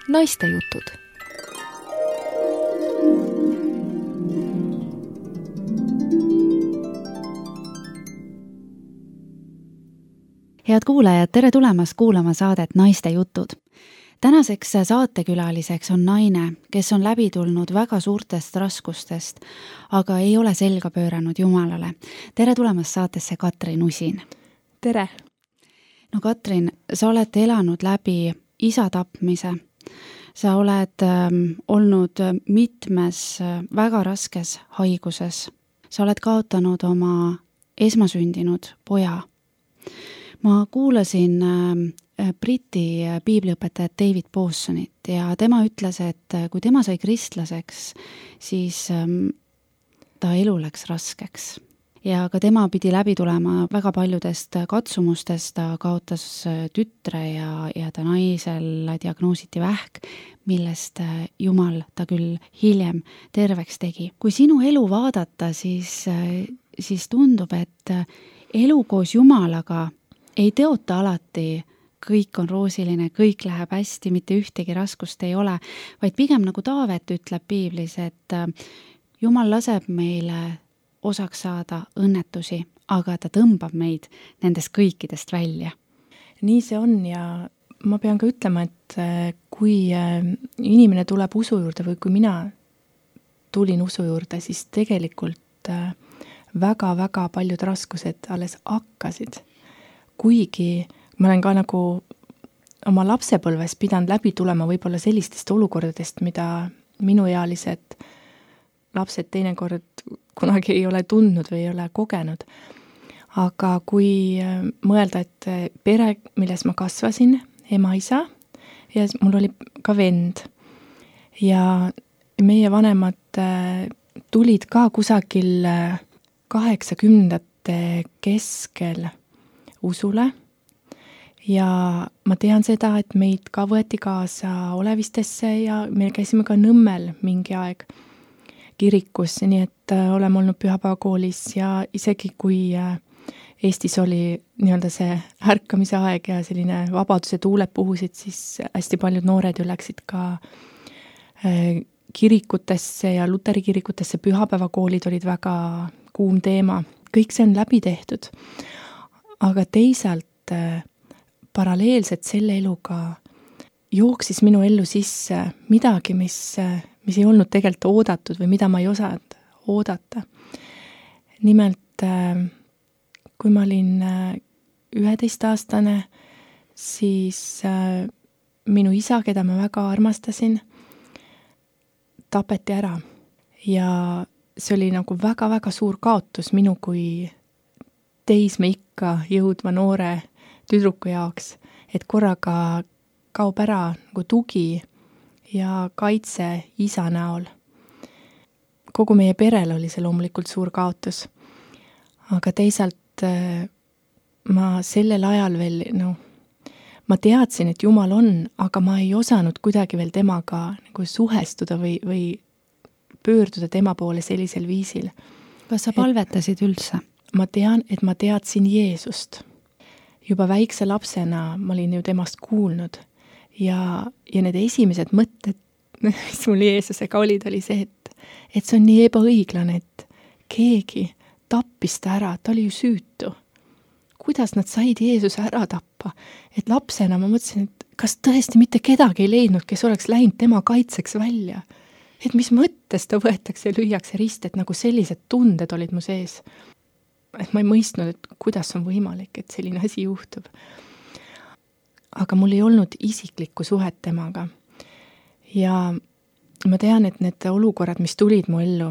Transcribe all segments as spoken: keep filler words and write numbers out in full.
Naistejutud. Head kuulajad, tere tulemast kuulama saadet Naistejutud. Tänaseks saatekülaliseks on naine, kes on läbi tulnud väga suurtest raskustest, aga ei ole selga pööranud Jumalale. Tere tulemast saatesse Katrin Usin. Tere! No Katrin, sa oled elanud läbi isa tapmise. Sa oled ähm, olnud mitmes äh, väga raskes haiguses. Sa oled kaotanud oma esmasündinud poja. Ma kuulasin äh, Briti piibliõpetajat David Pawsonit ja tema ütles, et kui tema sai kristlaseks, siis ähm, ta elu läks raskeks. Ja ka tema pidi läbi tulema väga paljudest katsumustest, ta kaotas tütre ja, ja ta naisel diagnoositi vähk, millest Jumal ta küll hiljem terveks tegi. Kui sinu elu vaadata, siis, siis tundub, et elu koos Jumalaga ei teota alati, kõik on roosiline, kõik läheb hästi, mitte ühtegi raskust ei ole, vaid pigem nagu Taavet ütleb piiblis, et Jumal laseb meile osaks saada õnnetusi, aga ta tõmbab meid nendest kõikidest välja. Nii see on ja ma pean ka ütlema, et kui inimene tuleb usu juurde või kui mina tulin usu juurde, siis tegelikult väga-väga paljud raskused alles hakkasid. Kuigi ma olen ka nagu oma lapsepõlves pidanud läbi tulema võib-olla sellistest olukordadest, mida minuealised lapsed teinekord kunagi ei ole tundnud või ei ole kogenud. Aga kui mõelda, et pere, milles ma kasvasin, ema, isa ja mul oli ka vend ja meie vanemad tulid ka kusagil kaheksakümnendate keskel usule ja ma tean seda, et meid ka võeti kaasa Olevistesse ja me käisime ka Nõmmel mingi aeg kirikus, nii et oleme olnud pühapäevakoolis ja isegi kui Eestis oli nii-öelda see ärkamise aeg ja selline vabaduse tuuled puhusid, siis hästi paljud noored ju läksid ka kirikutesse ja luteri kirikutesse, pühapäevakoolid olid väga kuum teema. Kõik see on läbi tehtud, aga teisalt paralleelselt selle eluga jooksis minu ellu sisse midagi, mis mis ei olnud tegelikult oodatud või mida ma ei osanud oodata. Nimelt, kui ma olin üheteistaastane, siis minu isa, keda ma väga armastasin, tapeti ära. Ja see oli nagu väga-väga suur kaotus minu kui teismeikka jõudva noore tüdruku jaoks, et korraga kaob ära nagu tugi ja kaitse isa näol. Kogu meie perel oli see loomulikult suur kaotus. Aga teisalt ma sellel ajal veel, no, ma teadsin, et Jumal on, aga ma ei osanud kuidagi veel temaga nagu suhestuda või, või pöörduda tema poole sellisel viisil. Kas sa palvetasid üldse? Ma tean, et ma teadsin Jeesust. Juba väikse lapsena ma olin ju temast kuulnud. Ja, ja need esimesed mõtted, mis mul Jeesusega olid, oli see, et, et see on nii ebaõiglane, et keegi tappis ta ära, ta oli ju süütu. Kuidas nad said Jeesuse ära tappa? Et lapsena ma mõtlesin, et kas tõesti mitte kedagi ei leidnud, kes oleks läinud tema kaitseks välja? Et mis mõttes ta võetakse ja lüüakse rist, et nagu sellised tunded olid mu sees. Et ma ei mõistnud, et kuidas on võimalik, et selline asi juhtub. Aga mul ei olnud isiklikku suhet temaga. Ja ma tean, et need olukorrad, mis tulid mu ellu,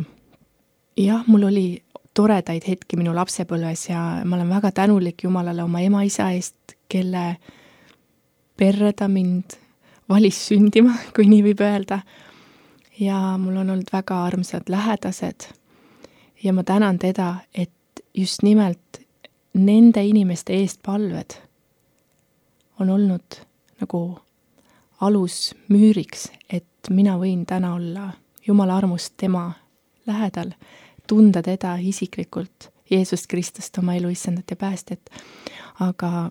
jah, mul oli toredaid hetki minu lapsepõlves ja ma olen väga tänulik Jumalale oma ema isa eest, kelle perre ta mind valis sündima, kui nii võib öelda. Ja mul on olnud väga armsad lähedased ja ma tänan teda, et just nimelt nende inimeste eest palved on olnud nagu alus müüriks, et mina võin täna olla Jumala armust tema lähedal, tunda teda isiklikult, Jeesust Kristust, oma elu issandat ja päästet. Aga,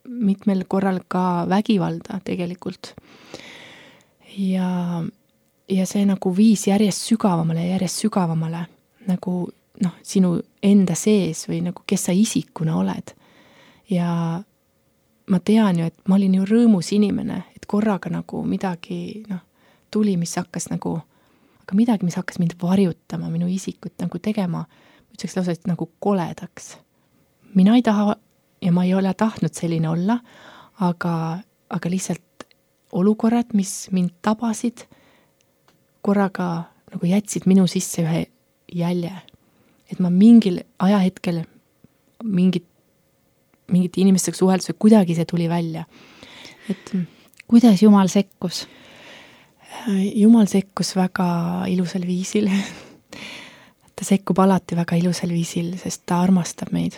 mitmel korral ka vägivalda tegelikult. ja, ja see nagu viis järjest sügavamale ja järjest sügavamale nagu noh, sinu enda sees või nagu kes sa isikuna oled. Ja ma tean ju, et ma olin ju rõõmus inimene, et korraga nagu midagi noh, tuli, mis hakkas nagu, aga midagi, mis hakkas mind varjutama, minu isikut nagu tegema, ütleks lausa, et nagu koledaks. Mina ei taha ja ma ei ole tahtnud selline olla, aga, aga lihtsalt olukorrad, mis mind tabasid, korraga nagu jätsid minu sisse ühe jälje. Et ma mingil ajahetkel mingit, mingit inimestega suheldus, kuidagi see tuli välja. Et kuidas Jumal sekkus? Jumal sekkus väga ilusal viisil. Ta sekkub alati väga ilusal viisil, sest ta armastab meid.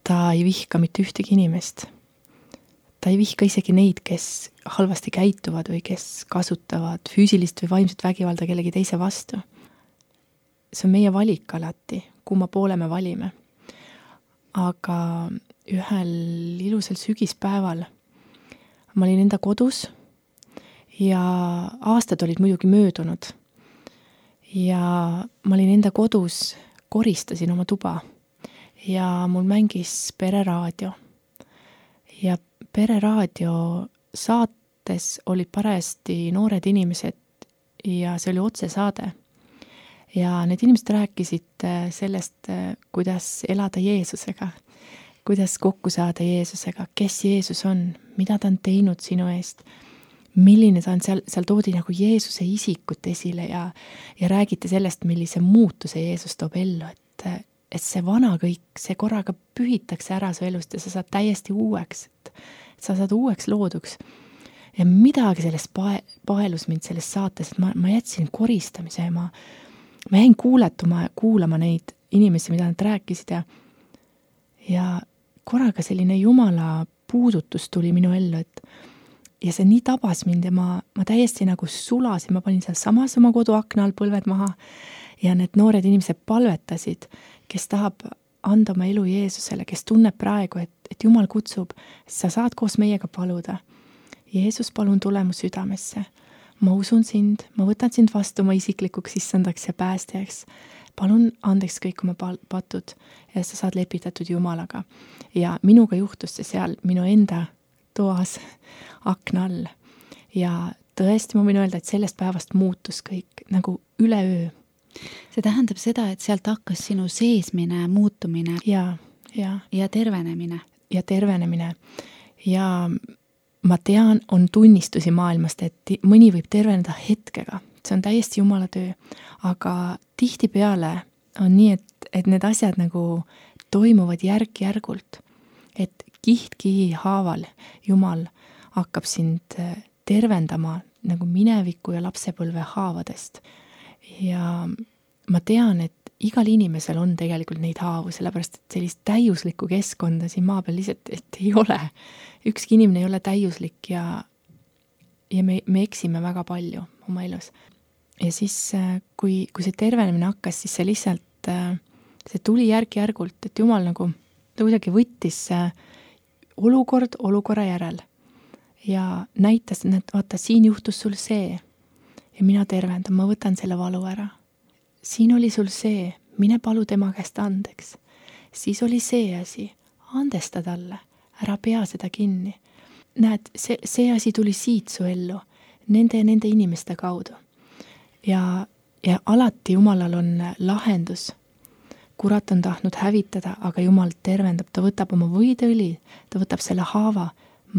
Ta ei vihka mitte ühtegi inimest. Ta ei vihka isegi neid, kes halvasti käituvad või kes kasutavad füüsilist või vaimset vägivalda kellegi teise vastu. See on meie valik alati, kumma poole me valime. Aga ühel ilusal sügispäeval ma olin enda kodus ja aastad olid muidugi möödunud. Ja ma olin enda kodus, koristasin oma tuba ja mul mängis pereraadio. Ja pereraadio saates olid parajasti noored inimesed ja see oli otsesaade. Ja need inimesed rääkisid sellest, kuidas elada Jeesusega, kuidas kokku saada Jeesusega, kes Jeesus on, mida ta on teinud sinu eest, milline ta on, seal, seal toodi nagu Jeesuse isikut esile ja, ja räägiti sellest, millise muutuse Jeesus toob ellu, et, et see vana kõik, see korraga pühitakse ära su elust ja sa saad täiesti uueks, et sa saad uueks looduks. Ja midagi sellest pae, paelus mind selles saates, et ma, ma jätsin koristamise ja ma Ma jäin kuuletuma ja kuulama neid inimesi, mida nad rääkisid ja, ja korraga selline Jumala puudutus tuli minu ellu, et ja see nii tabas mind ja ma, ma täiesti nagu sulasin, ma panin seal samas oma koduakna all põlved maha ja need noored inimesed palvetasid, kes tahab anda oma elu Jeesusele, kes tunneb praegu, et, et Jumal kutsub, sa saad koos meiega paluda. Jeesus, palun tule mu südamesse. Ma usun sind, ma võtan sind vastu oma isiklikuks issandaks ja päästjaks. Palun andeks kõik oma patud ja sa saad lepitatud Jumalaga. Ja minuga juhtus see seal minu enda toas akna all. Ja tõesti ma võin öelda, et sellest päevast muutus kõik nagu üleöö. See tähendab seda, et sealt hakkas sinu seesmine, muutumine ja, ja. ja tervenemine. Ja tervenemine. Ja ma tean, on tunnistusi maailmast, et mõni võib terveneda hetkega. See on täiesti Jumala töö. Aga tihtipeale on nii, et, et need asjad nagu toimuvad järk-järgult. Et kiht-kihi haaval Jumal hakkab sind tervendama nagu mineviku ja lapsepõlve haavadest. Ja ma tean, et igal inimesel on tegelikult neid haavu, sellepärast et sellist täiuslikku keskkonda siin maa peal lihtsalt et ei ole. Ükski inimene ei ole täiuslik ja, ja me, me eksime väga palju oma elus. Ja siis, kui, kui see tervenemine hakkas, siis see lihtsalt, see tuli järk-järgult, et Jumal nagu ta kuidagi võttis olukord olukorra järel ja näitas, et vaata, siin juhtus sul see ja mina tervendan, ma võtan selle valu ära. Siin oli sul see, mine palu tema käest andeks. Siis oli see asi, andesta talle, ära pea seda kinni. Näed, see, see asi tuli siit su ellu, nende ja nende inimeste kaudu. Ja, ja alati Jumalal on lahendus. Kurat on tahtnud hävitada, aga Jumal tervendab, ta võtab oma võidõli, ta võtab selle haava,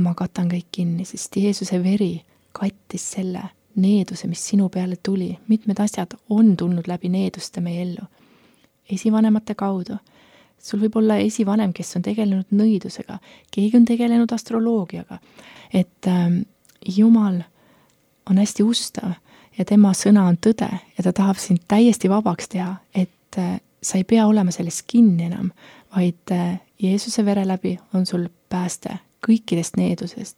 ma katan kõik kinni, sest Jeesuse veri kattis selle needuse, mis sinu peale tuli. Mitmed asjad on tulnud läbi needuste meie ellu. Esivanemate kaudu. Sul võib olla esivanem, kes on tegelenud nõidusega. Keegi on tegelenud astroloogiaga. Et ähm, Jumal on hästi ustav ja tema sõna on tõde ja ta tahab sind täiesti vabaks teha, et äh, sa ei pea olema selles kinni enam, vaid äh, Jeesuse vere läbi on sul pääste kõikidest needusest,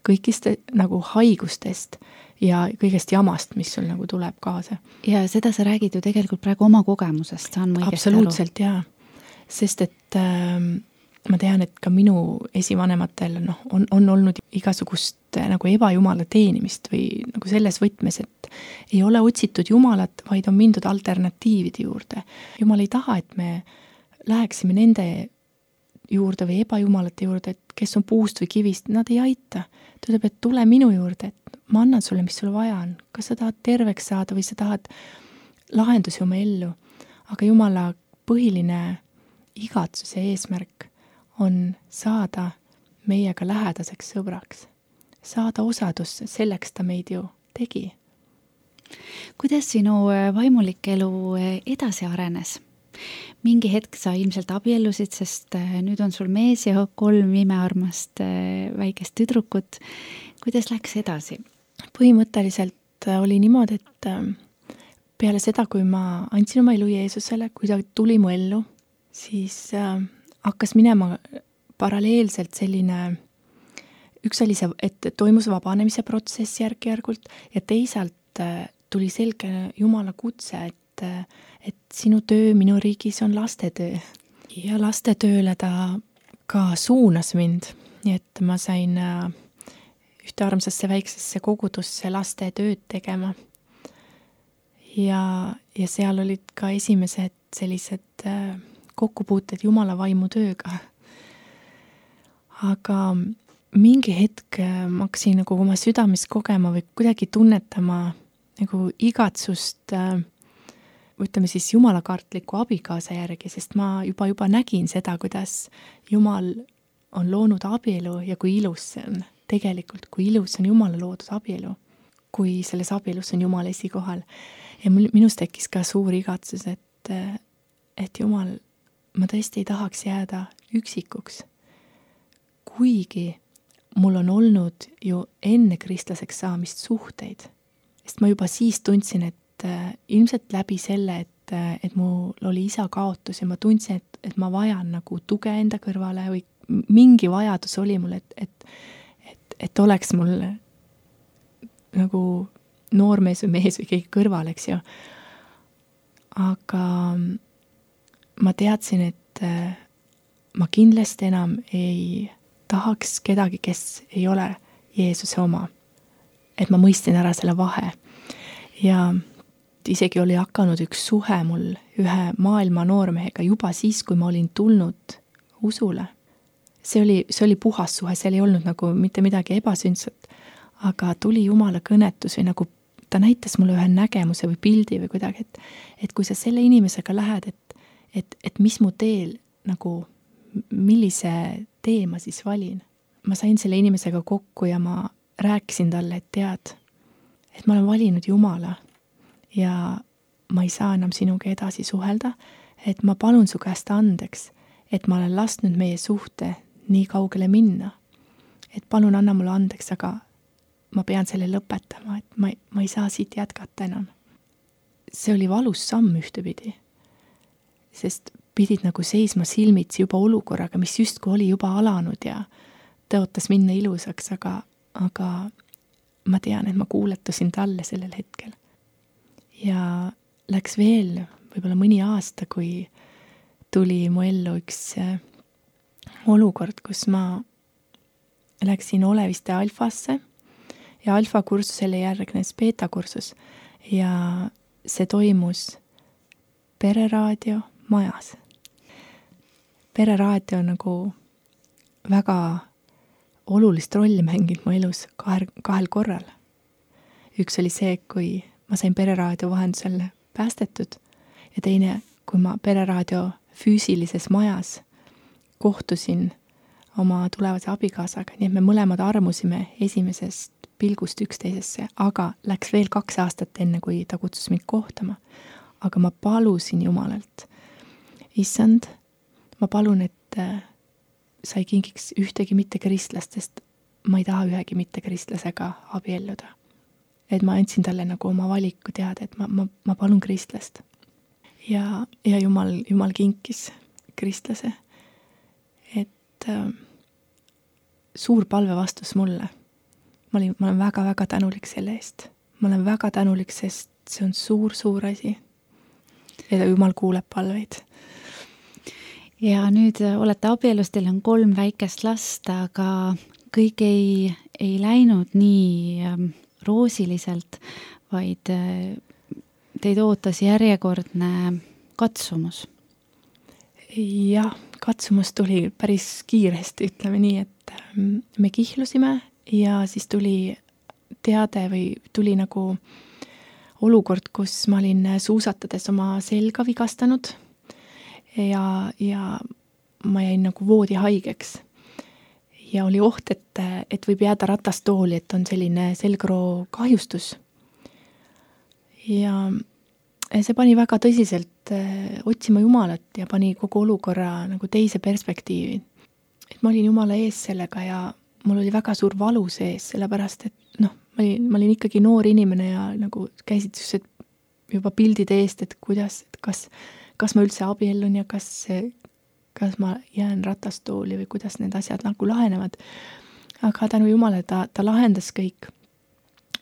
kõikist nagu haigustest ja kõigest jamast, mis sul nagu tuleb kaasa. Ja seda sa räägid ju tegelikult praegu oma kogemusest, saan ma õigesti Absoluutselt, jaa. Sest et, ma tean, et ka minu esivanematel noh, on, on olnud igasugust nagu ebajumala teenimist või nagu selles võtmes, et ei ole otsitud jumalat, vaid on mindud alternatiivide juurde. Jumal ei taha, et me läheksime nende juurde või ebajumalate juurde, et kes on puust või kivist, nad ei aita. Ta ütleb, et tule minu juurde, et ma annan sulle, mis sul vaja on. Kas sa tahad terveks saada või sa tahad lahendusi oma ellu. Aga Jumala põhiline igatsuse eesmärk on saada meiega lähedaseks sõbraks. Saada osadusse, selleks ta meid ju tegi. Kuidas sinu vaimulik elu edasi arenes? Mingi hetk sa ilmselt abiellusid, sest nüüd on sul mees ja kolm imearmast väikest tüdrukut. Kuidas läks edasi? Põhimõtteliselt oli niimoodi, et peale seda, kui ma andsin oma elu Jeesusele, kui ta tuli mu ellu, siis hakkas minema paralleelselt selline, üks oli see, et toimus vabanemise protsess järk-järgult ja teisalt tuli selge Jumala kutse, et, et sinu töö minu riigis on lastetöö. Ja lastetööle ta ka suunas mind, nii et ma sain ühte armsasse väiksesse kogudusse laste tööd tegema. Ja, ja seal olid ka esimesed sellised kokkupuuted Jumala vaimu tööga. Aga mingi hetk ma hakkasin nagu oma südames kogema või kuidagi tunnetama nagu igatsust, ütleme siis jumalakartliku abikaasa järgi, sest ma juba juba nägin seda, kuidas Jumal on loonud abielu ja kui ilus see on. Tegelikult, kui ilus on Jumala loodud abielu, kui selles abielus on Jumal esikohal. Ja minus tekkis ka suur igatsus, et, et Jumal, ma tõesti ei tahaks jääda üksikuks. Kuigi mul on olnud ju enne kristlaseks saamist suhteid, sest ma juba siis tundsin, et ilmselt läbi selle, et, et mul oli isa kaotus ja ma tundsin, et, et ma vajan nagu tuge enda kõrvale või mingi vajadus oli mul, et, et, et, et oleks mul nagu noormees või mees või keegi kõrval, eks ju. Aga ma teadsin, et ma kindlasti enam ei tahaks kedagi, kes ei ole Jeesuse oma. Et ma mõistin ära selle vahe. Ja isegi oli hakanud üks suhe mul ühe maailma noormehega juba siis, kui ma olin tulnud usule. See oli, see oli puhas suhe, seal ei olnud nagu mitte midagi ebasündsat, aga tuli Jumala kõnetus või nagu ta näitas mulle ühe nägemuse või pildi või kuidagi, et, et kui sa selle inimesega lähed, et Et, et mis mu teel, nagu, millise tee ma siis valin. Ma sain selle inimesega kokku ja ma rääkisin talle, et tead, et ma olen valinud Jumala ja ma ei saa enam sinuga edasi suhelda, et ma palun su käest andeks, et ma olen lasknud meie suhte nii kaugele minna. Et palun anna mulle andeks, aga ma pean selle lõpetama, et ma, ma ei saa siit jätkata enam. See oli valus samm ühtepidi. Sest pidid nagu seisma silmitsi juba olukorraga, mis justku oli juba alanud ja tõotas minna ilusaks, aga, aga ma tean, et ma kuuletasin talle sellel hetkel. Ja läks veel võib-olla mõni aasta, kui tuli mu ellu üks olukord, kus ma läksin Oleviste alfasse ja alfa kursusele järgnes beeta kursus ja see toimus Pereraadio majas. Pereraadio nagu väga olulist rolli mänginud mu elus kahel, kahel korral. Üks oli see, kui ma sain Pereraadio vahendusel päästetud ja teine, kui ma Pereraadio füüsilises majas kohtusin oma tulevase abikaasaga, nii et me mõlemad armusime esimesest pilgust üksteisesse, aga läks veel kaks aastat enne, kui ta kutsus mind kohtama. Aga ma palusin Jumalalt, issand, ma palun, et sa ei kingiks ühtegi mitte kristlastest, ma ei taha ühegi mitte kristlasega abielluda. Et ma andsin talle nagu oma valiku teada, et ma, ma, ma palun kristlast. Ja, ja Jumal, Jumal kinkis kristlase, et äh, suur palve vastus mulle. Ma olin, ma olen väga-väga tänulik selle eest. Ma olen väga tänulik, sest see on suur-suur asi. Ja Jumal kuuleb palveid. ja nüüd olete abielus, teil on kolm väikest last, aga kõik ei, ei läinud nii ähm, roosiliselt, vaid äh, teid ootas järjekordne katsumus. Jah, katsumus tuli päris kiiresti, ütleme nii, et me kihlusime ja siis tuli teade või tuli nagu olukord, kus ma olin suusatades oma selga vigastanud ja, ja ma jäin nagu voodi haigeks. Ja oli oht, et, et võib jääda ratastooli, et on selline selgroo kahjustus. Ja see pani väga tõsiselt otsima Jumalat ja pani kogu olukorra nagu teise perspektiivi. Et ma olin Jumala ees sellega ja mul oli väga suur valu sees, sellepärast, et noh, ma olin, ma olin ikkagi noor inimene ja nagu käisid just juba pildide eest, et kuidas, et kas, kas ma üldse abiellun ja kas, kas ma jään ratastooli või kuidas need asjad nagu lahenevad. Aga tänu Jumala ta, ta lahendas kõik.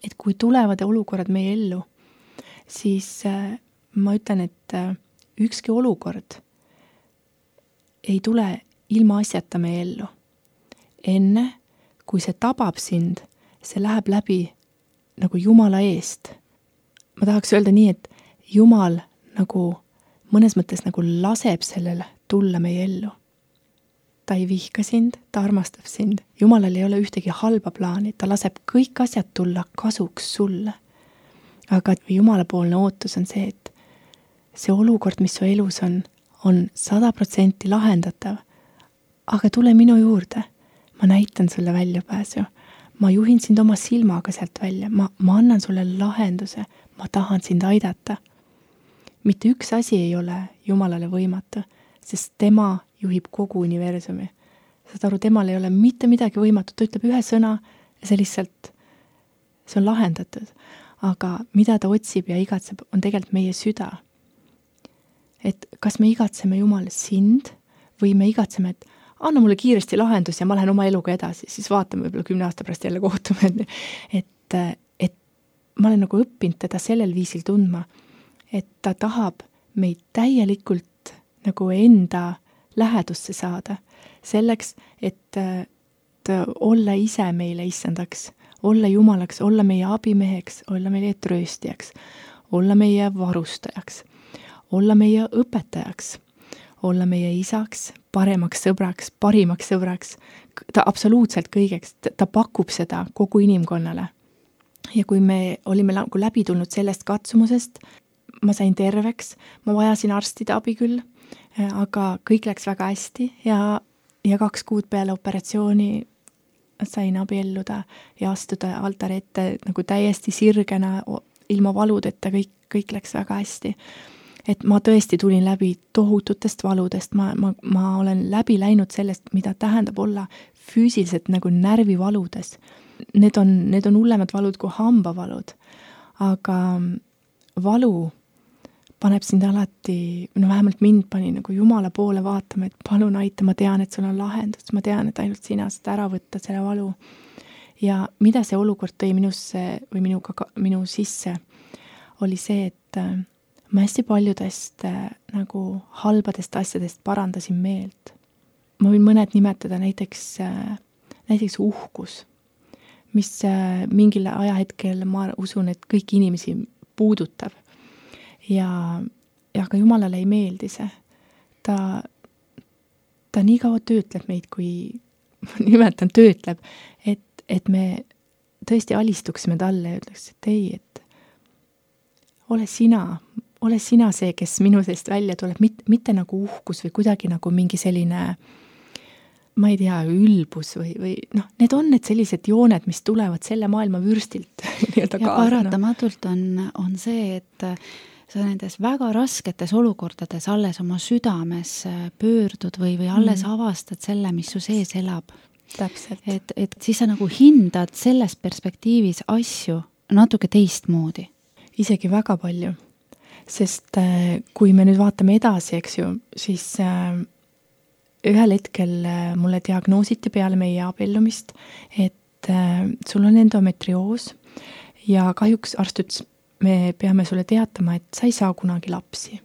Et kui tulevad olukorrad meie ellu, siis äh, ma ütlen, et äh, ükski olukord ei tule ilma asjata meie ellu. Enne, kui see tabab sind, see läheb läbi nagu Jumala eest. Ma tahaks öelda nii, et Jumal nagu mõnes mõttes nagu laseb sellele tulla meie ellu. Ta ei vihka sind, ta armastab sind. Jumalal ei ole ühtegi halba plaani, ta laseb kõik asjad tulla kasuks sulle. Aga Jumalapoolne ootus on see, et see olukord, mis su elus on, on sada protsenti lahendatav. Aga tule minu juurde, ma näitan sulle väljapääsu. Ma juhin sind oma silmaga sealt välja, ma, ma annan sulle lahenduse, ma tahan sind aidata. Mitte üks asi ei ole Jumalale võimatu, sest tema juhib kogu universumi. Saad aru, temal ei ole mitte midagi võimatu, ta ütleb ühe sõna ja see lihtsalt, see on lahendatud. Aga mida ta otsib ja igatseb, on tegelikult meie süda. Et kas me igatseme Jumal sind või me igatseme, et anna mulle kiiresti lahendus ja ma lähen oma eluga edasi, siis vaatame võib-olla kümne aasta pärast jälle kohtume. Et, et ma olen nagu õppinud teda sellel viisil tundma, et ta tahab meid täielikult nagu enda lähedusse saada. Selleks, et, et olla ise meile issandaks, olla Jumalaks, olla meie abimeheks, olla meie trööstijaks, olla meie varustajaks, olla meie õpetajaks, olla meie isaks, paremaks sõbraks, parimaks sõbraks, ta absoluutselt kõigeks, ta pakub seda kogu inimkonnale. Ja kui me olime läbi tulnud sellest katsumusest, ma sain terveks, ma vajasin arstide abi küll, aga kõik läks väga hästi ja, ja kaks kuud peale operatsiooni sain abielluda ja astuda altari ette nagu täiesti sirgena, ilma valudeta, kõik, kõik läks väga hästi. Et ma tõesti tulin läbi tohututest valudest, ma, ma, ma olen läbi läinud sellest, mida tähendab olla füüsiliselt nagu närvivaludes. Need on, need on hullemad valud kui hambavalud, aga valu paneb sind alati, no vähemalt mind pani nagu Jumala poole vaatama, et palun aita, ma tean, et sul on lahendus, ma tean, et ainult sina saad ära võtta selle valu. Ja mida see olukord tõi minusse või minuga, minu sisse, oli see, et ma hästi paljudest nagu halbadest asjadest parandasin meelt. Ma võin mõned nimetada näiteks, näiteks uhkus, mis mingil ajahetkel ma usun, et kõik inimesi puudutab. Ja, ja ka Jumalale ei meeldi see. Ta, ta nii kaua töötleb meid, kui nimetan töötleb, et, et me tõesti alistuksime talle ja ütleks, et ei, et ole sina, ole sina see, kes minu seest välja tuleb, mitte, mitte nagu uhkus või kuidagi nagu mingi selline, ma ei tea, ülbus või, või noh, need on need sellised jooned, mis tulevad selle maailma vürstilt. ja paratamatult on, on see, et sa nendes väga rasketes olukordades alles oma südames pöördud või, või alles mm. avastad selle, mis su sees elab. Täpselt. Et, et siis sa nagu hindad selles perspektiivis asju natuke teistmoodi. Isegi väga palju. Sest kui me nüüd vaatame edasi, eks ju, siis ühel hetkel mulle diagnoositi peale meie abiellumist, et sul on endometrioos ja kahjuks arst ütles, me peame sulle teatama, et sa ei saa kunagi lapsi.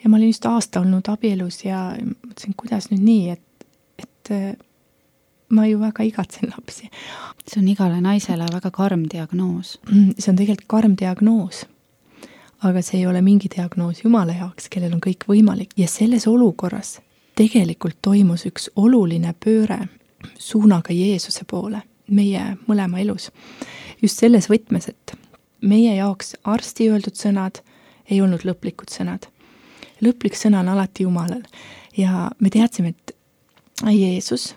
ja ma olin just aasta olnud abielus ja mõtlesin, kuidas nüüd nii, et, et ma ju väga igatsen lapsi. See on igale naisele väga karm diagnoos. See on tegelikult karm diagnoos, aga see ei ole mingi diagnoos Jumala jaoks, kellel on kõik võimalik. Ja selles olukorras tegelikult toimus üks oluline pööre suunaga Jeesuse poole meie mõlema elus. Just selles võtmes, et meie jaoks arsti öeldud sõnad ei olnud lõplikud sõnad. Lõplik sõna on alati Jumalal. Ja me teadsime, et Jeesus,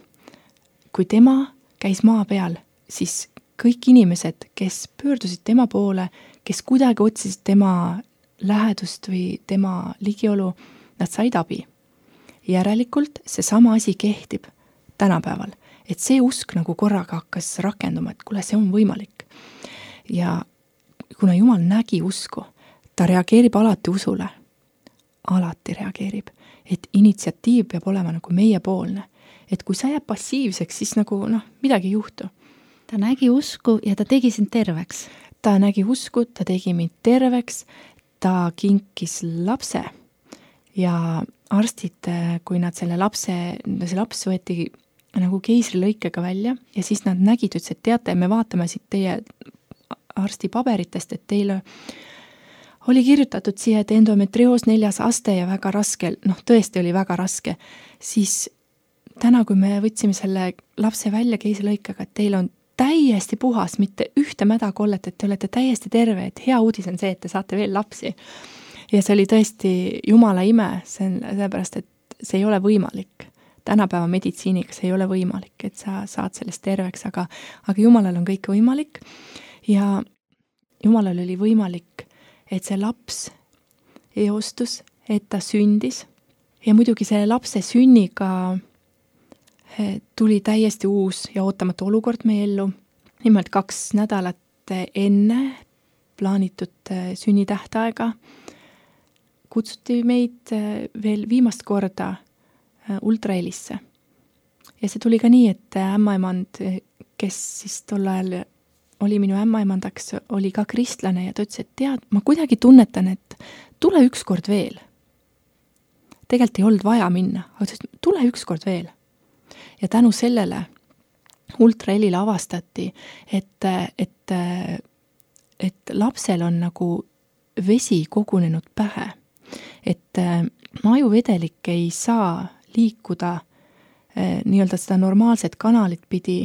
kui tema käis maa peal, siis kõik inimesed, kes pöördusid tema poole, kes kuidagi otsisid tema lähedust või tema ligiolu, nad said abi. Järelikult see sama asi kehtib tänapäeval, et see usk nagu korraga hakkas rakenduma, et kuule, see on võimalik. Ja kuna Jumal nägi usku, ta reageerib alati usule, alati reageerib, et initsiatiiv peab olema nagu meiepoolne. Et kui sa jääb passiivseks, siis nagu noh, midagi ei juhtu. Ta nägi usku ja ta tegi sind terveks. Ta nägi usku, ta tegi mind terveks, ta kinkis lapse ja arstid, kui nad selle lapse, see laps võeti nagu keisrilõikega välja ja siis nad nägid, ütles, et teate, me vaatame siit teie arsti paberitest, et teile oli kirjutatud siia, et endometrioos neljas aste ja väga raske, noh tõesti oli väga raske, siis täna, kui me võtsime selle lapse välja keisrilõikega, et teil on täiesti puhas, mitte ühte mädakollet, et te olete täiesti terve, et hea uudis on see, et te saate veel lapsi. Ja see oli tõesti Jumala ime, see on sellepärast, et see ei ole võimalik. Tänapäeva meditsiiniga see ei ole võimalik, et sa saad sellest terveks, aga, aga Jumalal on kõik võimalik ja Jumalal oli võimalik, et see laps eostus, et ta sündis ja muidugi selle lapse sünniga tuli täiesti uus ja ootamatu olukord meie ellu. Nimelt kaks nädalat enne plaanitud sünnitähtaega kutsuti meid veel viimast korda ultrahelisse. Ja see tuli ka nii, et ämmaemand, kes siis tol ajal oli minu ämmaemandaks, oli ka kristlane ja ta ütles, et tead, ma kuidagi tunnetan, et tule üks kord veel. Tegelikult ei olnud vaja minna, aga ütles, tule üks kord veel. Ja tänu sellele ultrahelile avastati, et, et, et lapsel on nagu vesi kogunenud pähe. Et ajuvedelik ei saa liikuda nii-öelda seda normaalset kanalit pidi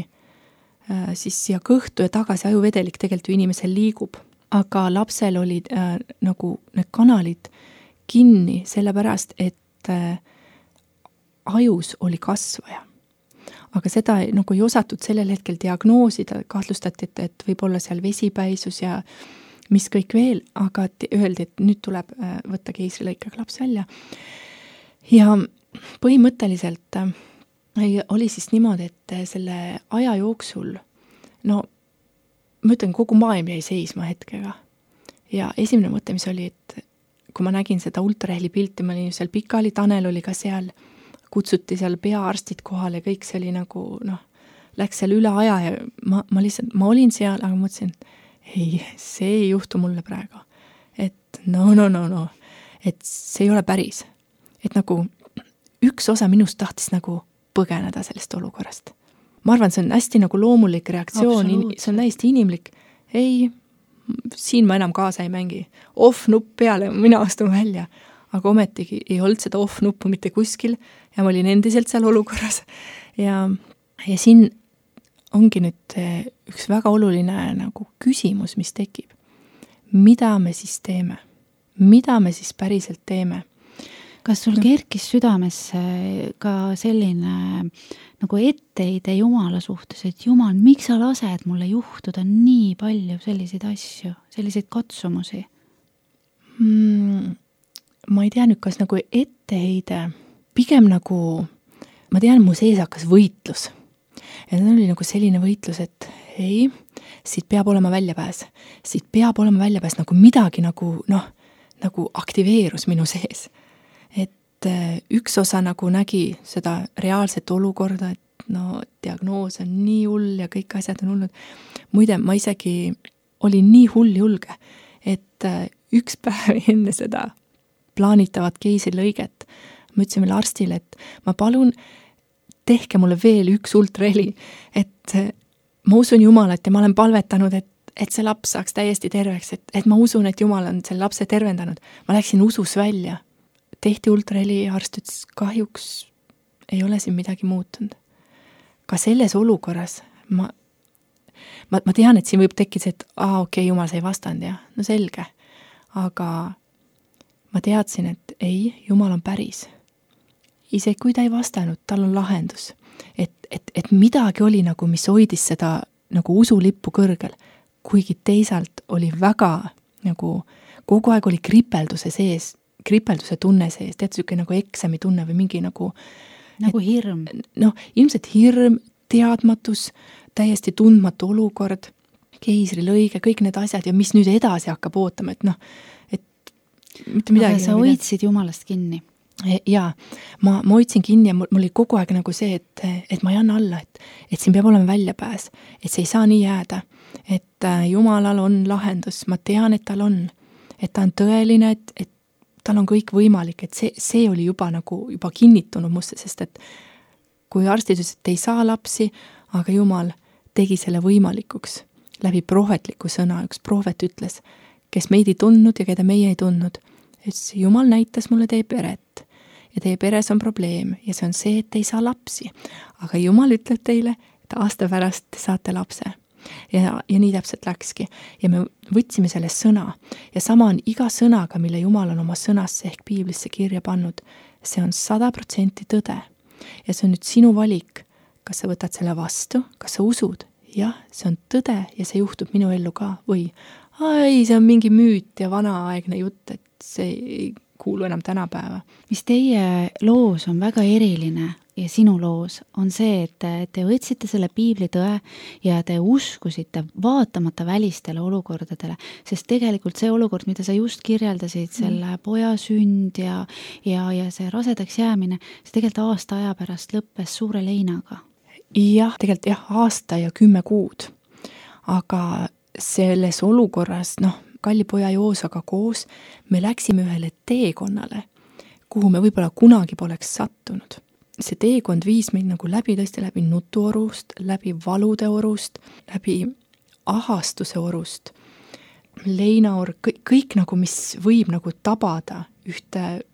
siis siia kõhtu ja tagasi ajuvedelik tegelikult ju inimesel liigub. Aga lapsel olid äh, nagu need kanalid kinni sellepärast, et äh, ajus oli kasvaja. Aga seda nagu ei osatud sellel hetkel diagnoosida, kahtlustati, et, et võib olla seal vesipäisus ja mis kõik veel, aga öeldi, et nüüd tuleb äh, võtta keisrilõikega laps välja. Ja põhimõtteliselt äh, oli siis niimoodi, et selle aja jooksul, no ma ütlen, kogu maailm jäi seisma hetkega. Ja esimene mõte, mis oli, et kui ma nägin seda ultraheli pilti, ma olin seal pikali, Tanel oli ka seal, kutsuti seal peaarstid kohale ja kõik see oli nagu, noh, läks seal üle aja ja ma, ma lihtsalt, ma olin seal, aga mõtlesin, ei, see ei juhtu mulle praegu. Et no, no, no, no, et see ei ole päris. Et nagu üks osa minust tahtis nagu põgeneda sellest olukorrast. Ma arvan, see on hästi nagu loomulik reaktsioon, see on täiesti inimlik. Ei, siin ma enam kaasa ei mängi. Off-nupp peale, mina astun välja. Aga ometigi ei olnud seda off-nuppu mitte kuskil ja ma olin endiselt seal olukorras. Ja, ja siin ongi nüüd üks väga oluline nagu küsimus, mis tekib. Mida me siis teeme? Mida me siis päriselt teeme? Kas sul kerkis südamesse ka selline nagu etteide Jumala suhtes, et Jumal, miks sa lased mulle juhtuda nii palju selliseid asju, selliseid katsumusi? Mm, ma ei tea nüüd, kas nagu etteide, pigem nagu, ma tean, mu sees hakkas võitlus. Ja see oli nagu selline võitlus, et ei, siit peab olema väljapääs. Siit peab olema väljapääs, nagu midagi nagu, noh, nagu aktiveerus minu sees. Et üks osa nagu nägi seda reaalset olukorda, et no diagnoos on nii hull ja kõik asjad on hullud. Muide, ma isegi olin nii hull julge, et üks päev enne seda plaanitavat keisrilõiget. Ma ütlesin veel arstile, et ma palun, tehke mulle veel üks ultraheli, et ma usun Jumalat ja ma olen palvetanud, et, et see laps saaks täiesti terveks, et, et ma usun, et Jumal on selle lapse tervendanud. Ma läksin usus välja. Tehti ultraheli ja arst ütles, kahjuks ei ole siin midagi muutunud. Ka selles olukorras ma, ma, ma tean, et siin võib tekkida, et aa, okei, okay, Jumal sai vastand ja no selge. Aga ma teadsin, et ei, Jumal on päris. Isegi kui ta ei vastanud, tal on lahendus. Et, et, et midagi oli nagu, mis hoidis seda nagu usulippu kõrgel, kuigi teisalt oli väga nagu, kogu aeg oli kripelduse sees, kripelduse tunne sees, tead süke nagu eksami tunne või mingi nagu nagu et, hirm. Noh, ilmselt hirm, teadmatus, täiesti tundmatu olukord, keisrilõige, kõik need asjad ja mis nüüd edasi hakkab ootama, et noh, et mitte midagi. Aga sa hoidsid Jumalast kinni. Jaa, ma, ma hoidsin kinni ja mul, mul oli kogu aeg nagu see, et, et ma ei anna alla, et, et siin peab olema väljapääs, et see ei saa nii jääda, et Jumalal on lahendus, ma tean, et tal on, et ta on tõeline, et, et tal on kõik võimalik, et see, see oli juba nagu juba kinnitunud musse, sest et kui arstid ütles, et ei saa lapsi, aga Jumal tegi selle võimalikuks läbi prohvetliku sõna, üks prohvet ütles, kes meid ei tundnud ja keda meie ei tundnud, et Jumal näitas mulle teie peret ja teie peres on probleem ja see on see, et ei saa lapsi. Aga Jumal ütleb teile, et aasta pärast te saate lapse. Ja, ja nii täpselt läkski. Ja me võtsime selle sõna. Ja sama on iga sõnaga, mille Jumal on oma sõnasse ehk piiblisse kirja pannud. See on sada protsenti tõde. Ja see on nüüd sinu valik. Kas sa võtad selle vastu? Kas sa usud? Jah, see on tõde ja see juhtub minu ellu ka. Või, ai, see on mingi müüt ja vanaaegne jutt, et see ei kuulu enam tänapäeva. Mis teie loos on väga eriline ja sinu loos on see, et te võtsite selle piibli tõe ja te uskusite vaatamata välistele olukordadele, sest tegelikult see olukord, mida sa just kirjeldasid, selle poja sünd ja, ja, ja see rasedaks jäämine, see tegelikult aasta aja pärast lõppes suure leinaga. Jah, tegelikult jah, aasta ja kümme kuud. Aga selles olukorras, noh, kalli poja Joosaga koos, me läksime ühele teekonnale, kuhu me võib-olla kunagi poleks sattunud. See teekond viis meid nagu läbi, tõesti läbi nutuorust, läbi valude orust, läbi ahastuse orust, leinaor, kõik, kõik nagu, mis võib nagu tabada ühte,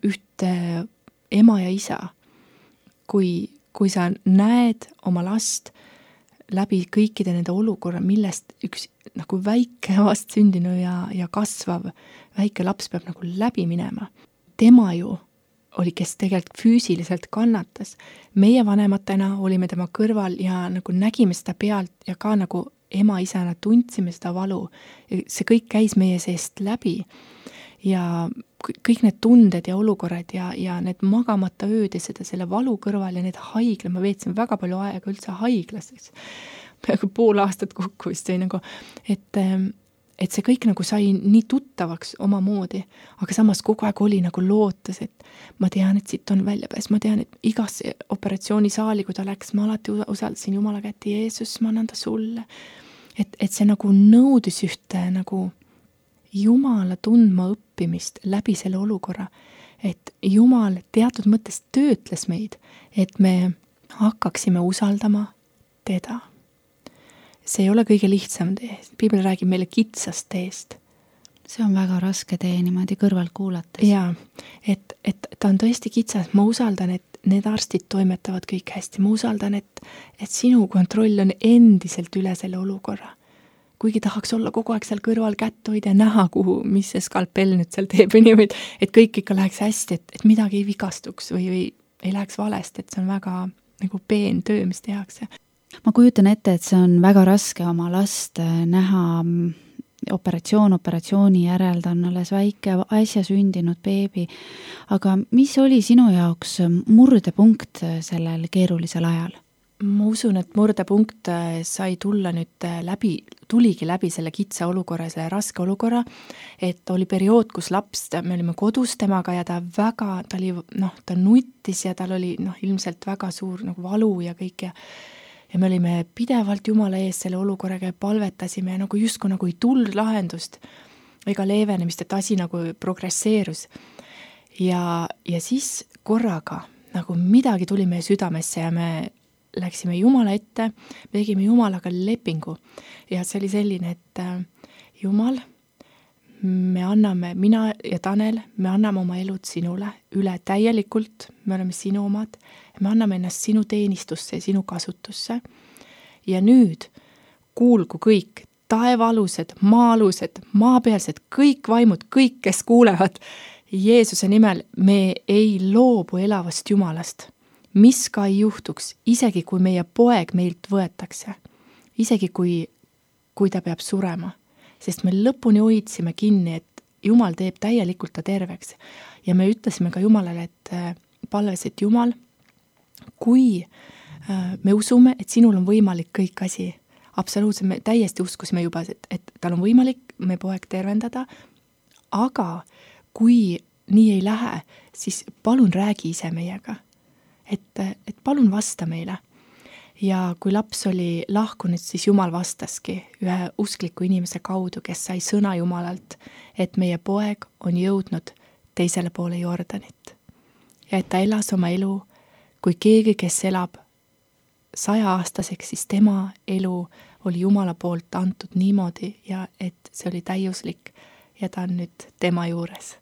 ühte ema ja isa. Kui, kui sa näed oma last läbi kõikide nende olukorra, millest üks nagu väike vast sündinu ja, ja kasvav väike laps peab nagu läbi minema. Tema ju oli, kes tegelikult füüsiliselt kannatas. Meie vanematena olime tema kõrval ja nagu nägime seda pealt ja ka nagu ema-isana tundsime seda valu. See kõik käis meie seest läbi ja kõik need tunded ja olukorrad ja, ja need magamata ööd ja seda selle valu kõrval ja need haigla, ma veetsin väga palju aega üldse haiglas, peaaegu pool aastat kokku vist või nagu, et, et see kõik nagu sai nii tuttavaks omamoodi, aga samas kogu aeg oli nagu lootus, et ma tean, et siit on väljapääs, ma tean, et igasse operatsioonisaali, kui ta läks, ma alati usaldasin Jumala kätte, Jeesus, ma annan ta sulle. Et, et see nagu nõudis ühte nagu Jumala tundma õppimist läbi selle olukorra, et Jumal teatud mõttes töötles meid, et me hakkaksime usaldama teda. See ei ole kõige lihtsam tee. Piibel räägib meile kitsast teest. See on väga raske tee niimoodi kõrvalt kuulates. Jaa, et, et ta on tõesti kitsas. Ma usaldan, et need arstid toimetavad kõik hästi. Ma usaldan, et, et sinu kontroll on endiselt üle selle olukorra. Kuigi tahaks olla kogu aeg seal kõrval kätt hoida ja näha, kuhu, mis see skalpell nüüd seal teeb, et kõik ikka läheks hästi, et, et midagi ei vigastuks või, või ei läheks valest, et see on väga nagu peen töö, mis tehakse. Ma kujutan ette, et see on väga raske oma last näha operatsioon operatsiooni järel, ta on alles väike äsja sündinud beebi, aga mis oli sinu jaoks murdepunkt sellel keerulisel ajal? Ma usun, et murdepunkt sai tulla nüüd läbi, tuligi läbi selle kitsa olukorra, selle raske olukorra, et oli periood, kus laps, me olime kodus temaga ja ta väga, ta oli, noh, ta nuttis ja tal oli, noh, ilmselt väga suur nagu valu ja kõik ja ja me olime pidevalt Jumala ees selle olukorraga ja palvetasime ja nagu justkui nagu ei tulnud lahendust. ega leevenemist, et asi nagu progresseerus. Ja, ja siis korraga nagu midagi tuli meie südamesse ja me läksime Jumala ette, me tegime Jumalaga lepingu ja see oli selline, et Jumal, me anname, mina ja Tanel, me anname oma elud sinule üle täielikult, me oleme sinu omad, me anname ennast sinu teenistusse ja sinu kasutusse ja nüüd kuulgu kõik taevaalused, maa-alused, maapealsed, kõik vaimud, kõik, kes kuulevad Jeesuse nimel, me ei loobu elavast Jumalast. Mis ka ei juhtuks, isegi kui meie poeg meilt võetakse, isegi kui, kui ta peab surema, sest me lõpuni hoidsime kinni, et Jumal teeb täielikult ta terveks. Ja me ütlesime ka Jumalale, et palves, et Jumal, kui me usume, et sinul on võimalik kõik asi, absoluutselt me täiesti uskusime juba, et, et tal on võimalik me poeg tervendada, aga kui nii ei lähe, siis palun räägi ise meiega. Et, et palun vasta meile. Ja kui laps oli lahkunud, siis Jumal vastaski ühe uskliku inimese kaudu, kes sai sõna Jumalalt, et meie poeg on jõudnud teisele poole Jordanit. Ja et ta elas oma elu, kui keegi, kes elab saja aastaseks, siis tema elu oli Jumala poolt antud niimoodi ja et see oli täiuslik ja ta on nüüd tema juures.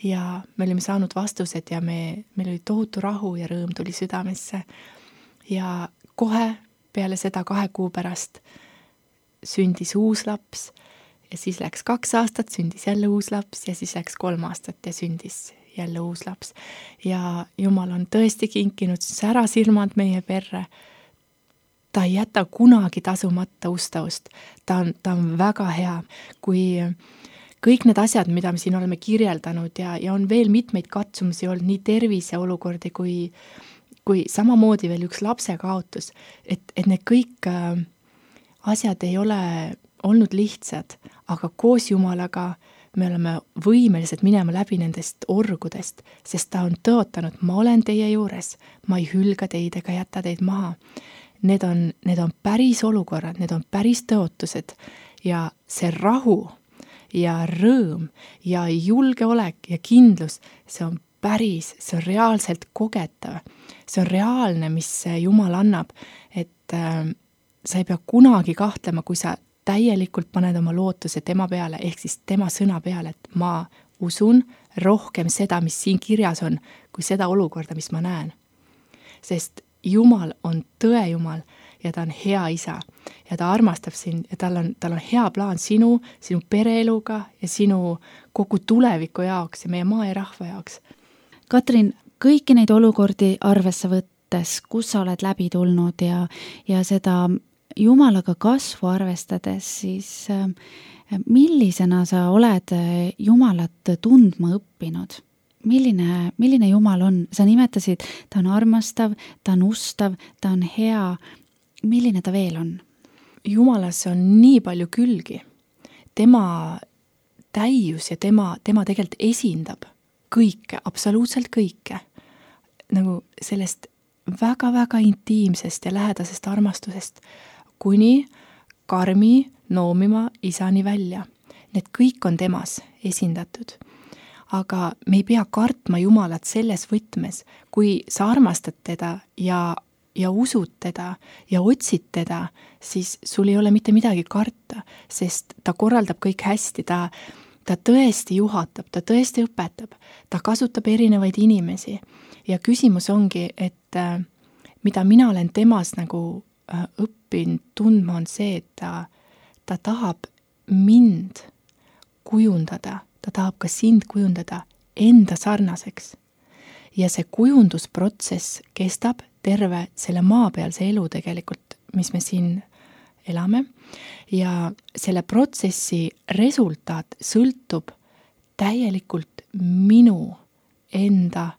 Ja me olime saanud vastused ja me, meil oli tohutu rahu ja rõõm tuli südamesse. Ja kohe peale seda kahe kuu pärast sündis uus laps ja siis läks kaks aastat, sündis jälle uus laps ja siis läks kolm aastat ja sündis jälle uus laps. Ja Jumal on tõesti kinkinud särasirmad meie perre. Ta ei jäta kunagi tasumata ustavust. Ta on, ta on väga hea, kui kõik need asjad, mida me siin oleme kirjeldanud ja, ja on veel mitmeid katsumusi olnud, nii tervise olukordi kui, kui samamoodi veel üks lapse kaotus, et, et need kõik äh, asjad ei ole olnud lihtsad, aga koos Jumalaga me oleme võimelised minema läbi nendest orgudest, sest ta on tõotanud, ma olen teie juures, ma ei hülga teid ega jäta teid maha. Need on, need on päris olukorrad, need on päris tõotused ja see rahu ja rõõm ja julgeolek ja kindlus, see on päris, see on reaalselt kogetav. See on reaalne, mis Jumal annab, et äh, sa ei pea kunagi kahtlema, kui sa täielikult paned oma lootuse tema peale, ehk siis tema sõna peale, et ma usun rohkem seda, mis siin kirjas on, kui seda olukorda, mis ma näen. Sest Jumal on tõe Jumal ja ta on hea isa ja ta armastab sind ja tal on, tal on hea plaan sinu, sinu pereeluga ja sinu kogu tuleviku jaoks ja meie maa ja rahva jaoks. Katrin, kõiki neid olukordi arvesse võttes, kus sa oled läbi tulnud ja, ja seda Jumalaga kasvu arvestades, siis millisena sa oled Jumalat tundma õppinud? Milline, milline Jumal on? Sa nimetasid, ta on armastav, ta on ustav, ta on hea. Milline ta veel on? Jumalas on nii palju külgi. Tema täius ja tema, tema tegelikult esindab kõike, absoluutselt kõike. Nagu sellest väga-väga intiimsest ja lähedasest armastusest kuni karmi noomima isani välja. Need kõik on temas esindatud. Aga me ei pea kartma Jumalat selles võtmes, kui sa armastad teda ja, ja usud teda ja otsid teda, siis sul ei ole mitte midagi karta, sest ta korraldab kõik hästi, ta, ta tõesti juhatab, ta tõesti õpetab, ta kasutab erinevaid inimesi ja küsimus ongi, et äh, mida mina olen temas nagu äh, õppinud tundma on see, et ta, ta tahab mind kujundada, ta tahab ka sind kujundada enda sarnaseks. Ja see kujundusprotsess kestab terve selle maapealse elu tegelikult, mis me siin elame. Ja selle protsessi resultaat sõltub täielikult minu enda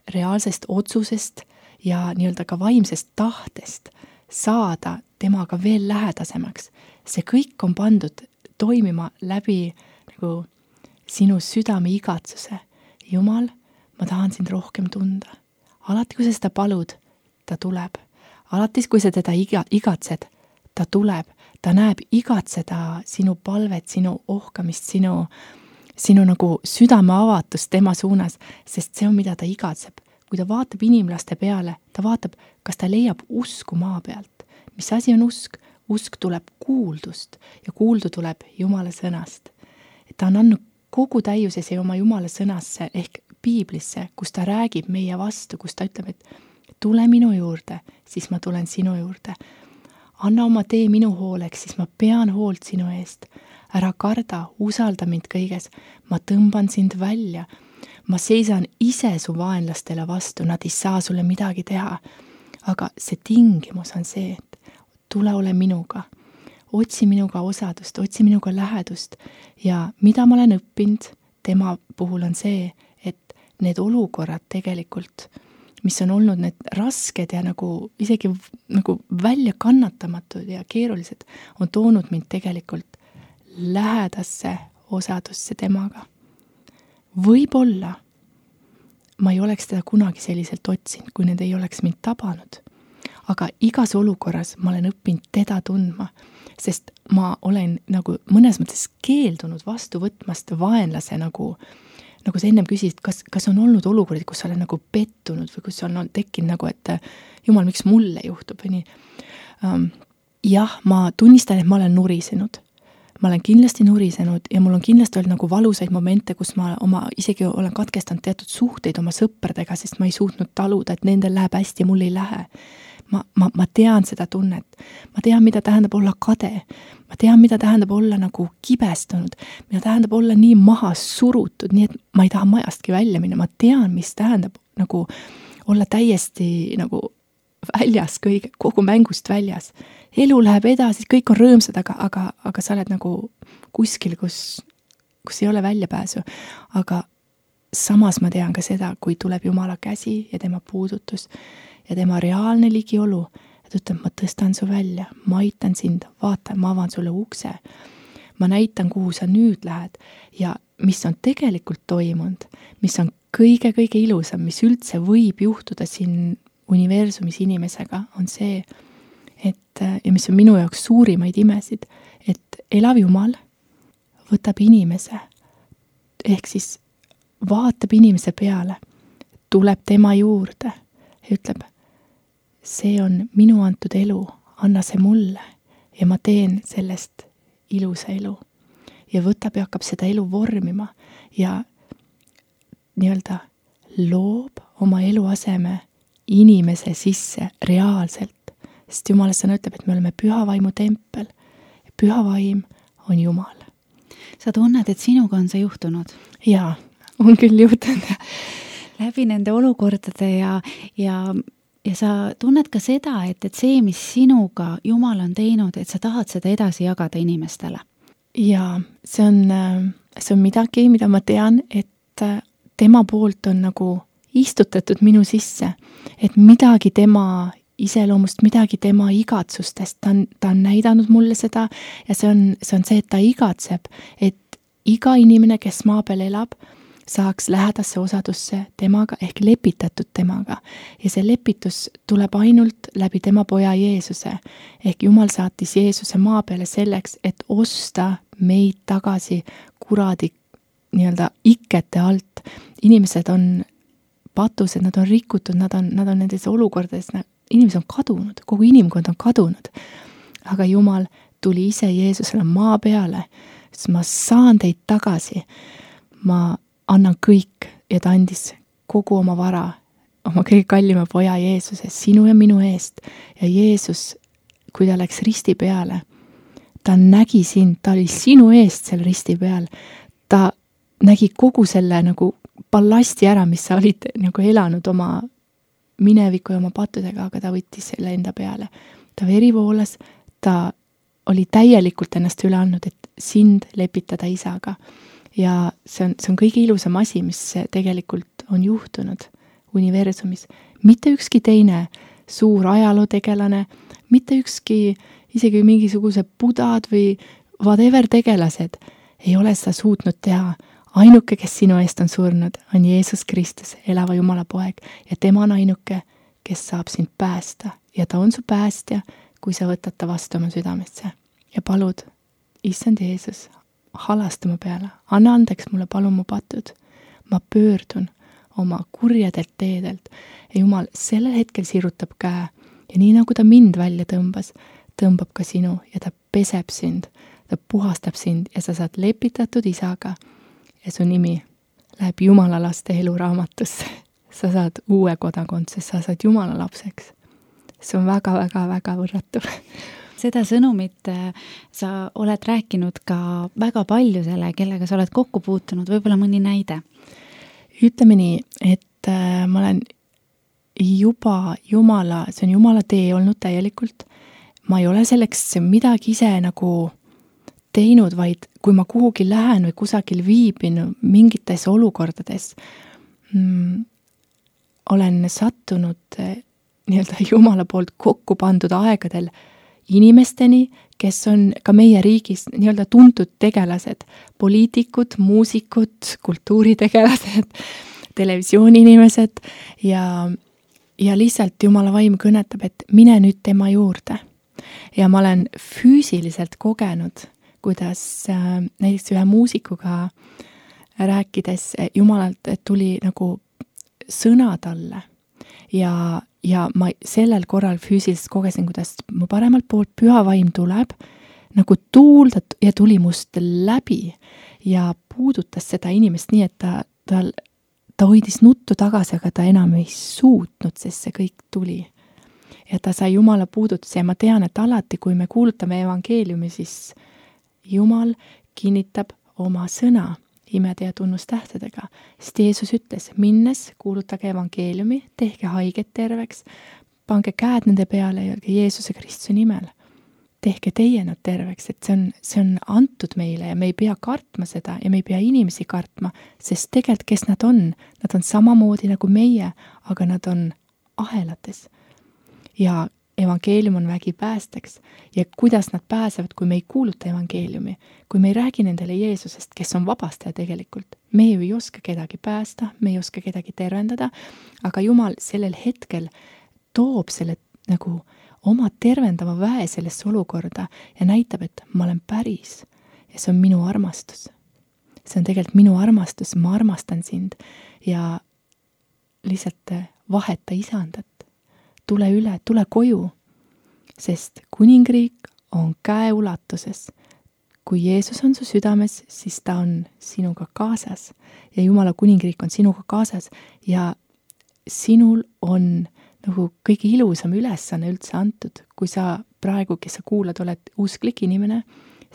reaalsest otsusest ja nii-öelda ka vaimsest tahtest saada temaga veel lähedasemaks. See kõik on pandud toimima läbi nagu sinu südame igatsuse. Jumal, ma tahan sind rohkem tunda. Alati, kui sa seda palud, ta tuleb. Alati, kui sa teda iga, igatsed, ta tuleb. ta näeb igat seda sinu palvet, sinu ohkamist, sinu, sinu nagu südame avatust tema suunas, sest see on, mida ta igatseb. Kui ta vaatab inimlaste peale, ta vaatab, kas ta leiab usku maa pealt. Mis asi on usk? Usk tuleb kuuldust ja kuuldu tuleb Jumala sõnast. Et ta on andnud kogu täiuses ja oma Jumala sõnasse ehk Piiblisse, kus ta räägib meie vastu, kus ta ütleb, et tule minu juurde, siis ma tulen sinu juurde. Anna oma tee minu hooleks, siis ma pean hoolt sinu eest. Ära karda, usalda mind kõiges. Ma tõmban sind välja. Ma seisan ise su vaenlastele vastu, nad ei saa sulle midagi teha. Aga see tingimus on see, et tule ole minuga. Otsi minuga osadust, otsi minuga lähedust. Ja mida ma olen õppinud tema puhul on see, et need olukorrad tegelikult, mis on olnud need rasked ja nagu isegi nagu välja kannatamatud ja keerulised, on toonud mind tegelikult lähedasse osadusse temaga. Võib-olla ma ei oleks teda kunagi selliselt otsinud, kui need ei oleks mind tabanud. Aga igas olukorras ma olen õppinud teda tundma, sest ma olen nagu mõnes mõttes keeldunud vastu võtmast vaenlase nagu nagu sa ennem küsisid, kas, kas on olnud olukordi, kus sa olen nagu pettunud või kus on tekkinud nagu, et jumal, miks mulle juhtub või nii. Um, jah, ma tunnistan, et ma olen nurisenud. Ma olen kindlasti nurisenud ja mul on kindlasti olnud nagu valusaid momente, kus ma oma, isegi olen katkestanud teatud suhteid oma sõpradega, sest ma ei suutnud taluda, et nendel läheb hästi ja mul ei lähe. Ma, ma, ma tean seda tunnet. Ma tean, mida tähendab olla kade. Ma tean, mida tähendab olla nagu kibestunud. Mida tähendab olla nii maha surutud, nii et ma ei taha majastki välja minna. Ma tean, mis tähendab nagu olla täiesti nagu väljas, kõige, kogu mängust väljas. Elu läheb edasi, kõik on rõõmsad, aga, aga, aga sa oled nagu kuskil, kus, kus ei ole väljapääsu. Aga samas ma tean ka seda, kui tuleb Jumala käsi ja tema puudutus ja tema reaalne ligiolu, et ütleb, ma tõstan su välja, ma aitan sind, vaata, ma avan sulle ukse. Ma näitan, kuhu sa nüüd lähed ja mis on tegelikult toimunud, mis on kõige-kõige ilusam, mis üldse võib juhtuda siin universumis inimesega, on see, et, ja mis on minu jaoks suurimaid imesid, et elav Jumal võtab inimese, ehk siis vaatab inimese peale, tuleb tema juurde ja ütleb, see on minu antud elu, anna see mulle ja ma teen sellest ilusa elu. Ja võtab ja hakkab seda elu vormima ja nii-öelda loob oma eluaseme inimese sisse reaalselt. Sest Jumala sõna ütleb, et me oleme püha vaimu tempel ja püha vaim on Jumal. Sa tunned, et sinuga on see juhtunud? Jaa, on küll juhtunud. Läbi nende olukordade ja, ja Ja sa tunned ka seda, et, et see, mis sinuga Jumal on teinud, et sa tahad seda edasi jagada inimestele. Ja see on, see on midagi, mida ma tean, et tema poolt on nagu istutatud minu sisse, et midagi tema iseloomust, midagi tema igatsustest, ta on, ta on näidanud mulle seda ja see on, see on see, et ta igatseb, et iga inimene, kes maa peal elab, saaks lähedasse osadusse temaga ehk lepitatud temaga ja see lepitus tuleb ainult läbi tema poja Jeesuse ehk Jumal saatis Jeesuse maa peale selleks, et osta meid tagasi kuradi nii-öelda ikkete alt. Inimesed on patused, nad on rikutud, nad on, nad on nendes olukordades, inimesed on kadunud, kogu inimkond on kadunud. Aga Jumal tuli ise Jeesusele maa peale, sest ma saan teid tagasi, ma annan kõik ja ta andis kogu oma vara, oma kõige kallima poja Jeesuse, sinu ja minu eest. Ja Jeesus, kui ta läks risti peale, ta nägi sind, ta oli sinu eest seal risti peal. Ta nägi kogu selle nagu ballasti ära, mis sa olid nagu elanud oma mineviku ja oma pattudega, aga ta võttis selle enda peale. Ta veri voolas, ta oli täielikult ennast üle andnud, et sind lepitada isaga. Ja see on, see on kõige ilusam asi, mis tegelikult on juhtunud universumis. Mitte ükski teine suur ajalootegelane, mitte ükski isegi mingisugused budad või whatever tegelased ei ole seda suutnud teha. Ainuke, kes sinu eest on surnud, on Jeesus Kristus, elava Jumala poeg ja tema on ainuke, kes saab sind päästa ja ta on su päästja, kui sa võtad ta vastu oma südamesse. ja palud, issand Jeesus, halasta mu peale, anna andeks mulle, palun mu patud. Ma pöördun oma kurjadelt teedelt ja Jumal sellel hetkel sirutab käe ja nii nagu ta mind välja tõmbas, tõmbab ka sinu ja ta peseb sind, ta puhastab sind ja sa saad lepitatud isaga ja su nimi läheb Jumala laste eluraamatusse. Sa saad uue kodakondsuse, sa saad Jumala lapseks. See on väga-väga-väga võrratu. Seda sõnumit sa oled rääkinud ka väga paljusele, kellega sa oled kokku puutunud, võib-olla mõni näide? Ütleme nii, et ma olen juba Jumala, see on Jumala tee olnud täielikult. Ma ei ole selleks midagi ise nagu teinud, vaid kui ma kuhugi lähen või kusagil viibin mingites olukordades, mm, olen sattunud nii-öelda Jumala poolt kokku pandud aegadel inimesteni, kes on ka meie riigis nii-öelda tuntud tegelased, poliitikud, muusikud, kultuuritegelased, televisiooni inimesed ja, ja lihtsalt Jumala vaim kõnetab, et mine nüüd tema juurde. Ja ma olen füüsiliselt kogenud, kuidas äh, näiteks ühe muusikuga rääkides Jumalalt tuli nagu sõna talle ja, ja ma sellel korral füüsiliselt kogesin, kuidas mu paremalt poolt püha vaim tuleb, nagu tuul ja tuli must läbi ja puudutas seda inimest nii, et ta, ta, ta hoidis nuttu tagasi, aga ta enam ei suutnud, sest see kõik tuli. Ja ta sai Jumala puudutuse ja ma tean, et alati, kui me kuulutame evangeeliumi, siis Jumal kinnitab oma sõna imede ja tunnustähtedega. Sest Jeesus ütles, minnes kuulutage evangeeliumi, tehke haiget terveks, pange käed nende peale ja Jeesuse Kristuse nimel. Tehke teie nad terveks, et see on, see on antud meile ja me ei pea kartma seda ja me ei pea inimesi kartma, sest tegelikult kes nad on, nad on samamoodi nagu meie, aga nad on ahelates. Ja evangeelium on vägi päästeks ja kuidas nad pääsevad, kui me ei kuuluta evangeeliumi, kui me ei räägi nendele Jeesusest, kes on vabastaja tegelikult. Me ju ei oska kedagi päästa, me ei oska kedagi tervendada, aga Jumal sellel hetkel toob selle nagu oma tervendava väe sellesse olukorda ja näitab, et ma olen päris ja see on minu armastus. See on tegelikult minu armastus, ma armastan sind ja lihtsalt vaheta isandat. Tule üle, tule koju, sest kuningriik on käe ulatuses. Kui Jeesus on su südames, siis ta on sinuga kaasas ja Jumala kuningriik on sinuga kaasas ja sinul on nagu kõige ilusam ülesanne üldse antud. Kui sa praegu, kes sa kuulad, oled uusklik inimene,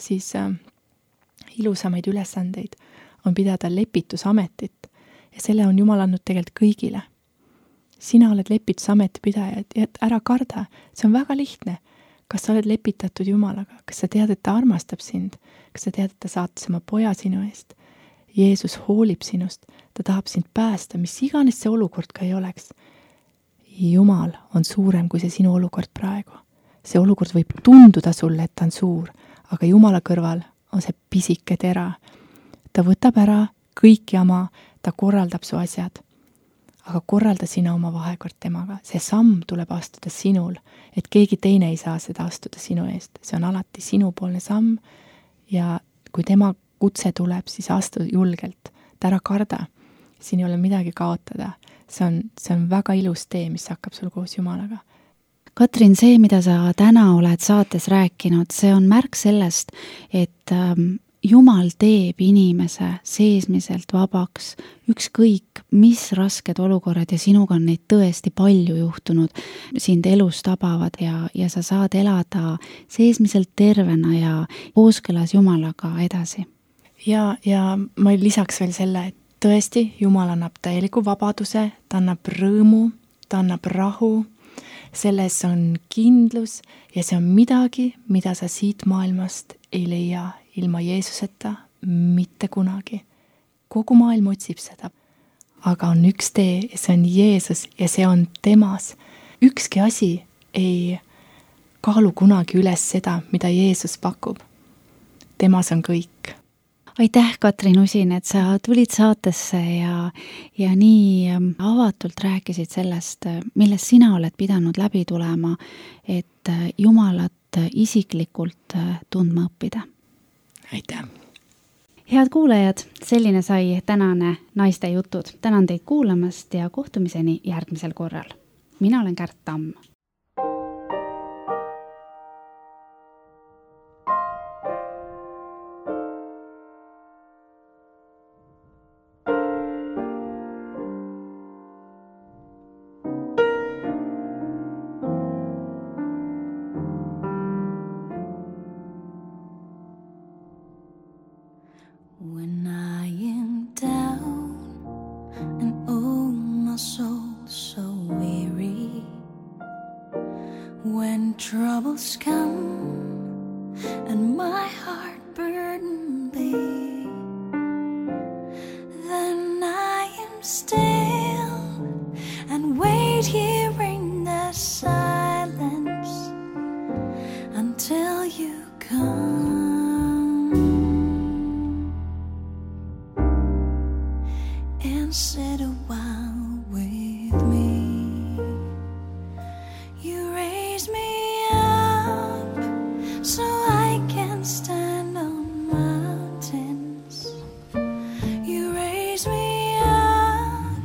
siis äh, ilusamaid ülesandeid on pidada lepitusametit ja selle on Jumal andnud tegelikult kõigile. Sina oled lepitusameti pidaja, et ära karda, see on väga lihtne. Kas sa oled lepitatud Jumalaga? Kas sa tead, et ta armastab sind? Kas sa tead, et ta saatis oma poja sinu eest? Jeesus hoolib sinust, ta tahab sind päästa, mis iganes see olukord ka ei oleks. Jumal on suurem kui see sinu olukord praegu. See olukord võib tunduda sulle, et ta on suur, aga Jumala kõrval on see pisike tera. Ta võtab ära kõik jama, ta korraldab su asjad. Aga korralda sina oma vahekord temaga. See samm tuleb astuda sinul, et keegi teine ei saa seda astuda sinu eest. See on alati sinupoolne samm ja kui tema kutse tuleb, siis astu julgelt. Ta ära karda. Siin ei ole midagi kaotada. See on, see on väga ilus tee, mis hakkab sul koos Jumalaga. Katrin, see, mida sa täna oled saates rääkinud, see on märk sellest, et ähm, Jumal teeb inimese seesmiselt vabaks, ükskõik mis rasked olukorrad ja sinuga on neid tõesti palju juhtunud, sind elus tabavad ja, ja sa saad elada seesmiselt tervena ja kooskõlas Jumalaga edasi. Ja, ja ma lisaks veel selle, et tõesti Jumal annab täieliku vabaduse, ta annab rõõmu, ta annab rahu, selles on kindlus ja see on midagi, mida sa siit maailmast ei leia ilma Jeesuseta mitte kunagi. Kogu maailm otsib seda. Aga on üks tee ja see on Jeesus ja see on temas. Ükski asi ei kaalu kunagi üles seda, mida Jeesus pakub. Temas on kõik. Aitäh, Katrin Usin, et sa tulid saatesse ja, ja nii avatult rääkisid sellest, millest sina oled pidanud läbi tulema, et Jumalat isiklikult tundma õppida. Aitäh! Head kuulajad, selline sai tänane naiste jutud. Tänan teid kuulamast ja kohtumiseni järgmisel korral. Mina olen Kärt Tamm. When I am down and oh my soul so weary, when troubles come and my heart burden be, then I am still and wait here in the silence until you come and sit a while with me. You raise me up so I can stand on mountains. You raise me up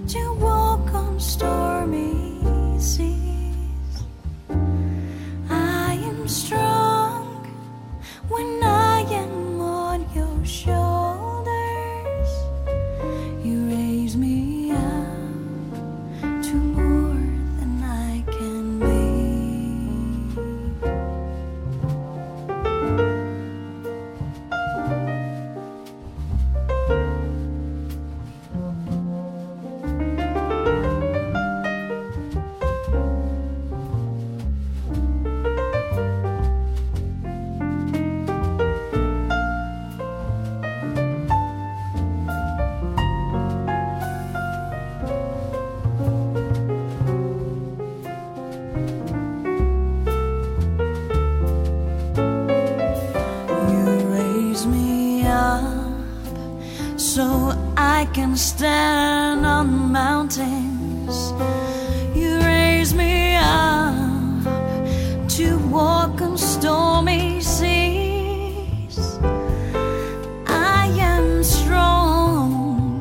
to walk on stormy seas. I am strong when I am on your shoulders. You raise me up to more than I can be. So I can stand on mountains. You raise me up to walk on stormy seas. I am strong